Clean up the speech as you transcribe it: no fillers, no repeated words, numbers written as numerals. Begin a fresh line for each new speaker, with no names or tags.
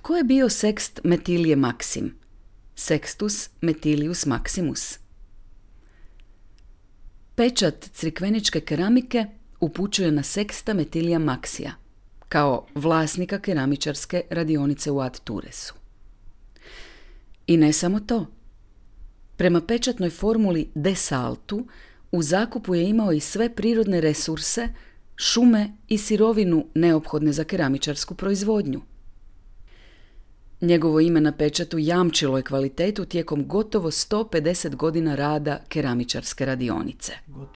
Tko je bio Sekst Metilije Maksim? Sextus Metilius Maximus. Pečat crikveničke keramike upućuje na Seksta Metilija Maksija, kao vlasnika keramičarske radionice u Ad Turesu. I ne samo to. Prema pečatnoj formuli De Saltu, u zakupu je imao i sve prirodne resurse, šume i sirovinu neophodne za keramičarsku proizvodnju. Njegovo ime na pečatu jamčilo je kvalitetu tijekom gotovo 150 godina rada keramičarske radionice.